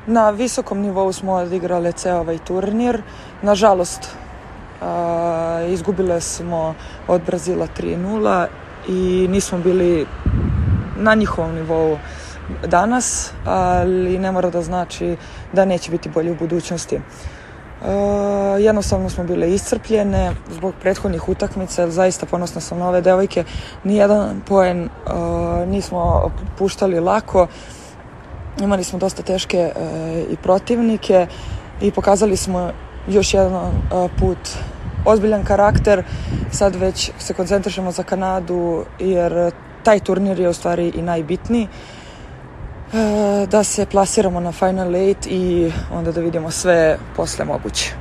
Na visokom nivou smo odigrale ceo ovaj turnir. Nažalost, izgubile smo od Brazila 3:0 i nismo bili na njihovom nivou danas, ali ne mora da znači da neće biti bolje u budućnosti. Jednostavno smo bile iscrpljene zbog prethodnih utakmica, zaista ponosna sam na ove devojke. Nijedan poen nismo puštali lako, imali smo dosta teške i protivnike i pokazali smo još jedan put ozbiljan karakter. Sad već se koncentrišemo za Kanadu jer taj turnir je u stvari i najbitniji, da se plasiramo na Final 8 i onda da vidimo sve posle moguće.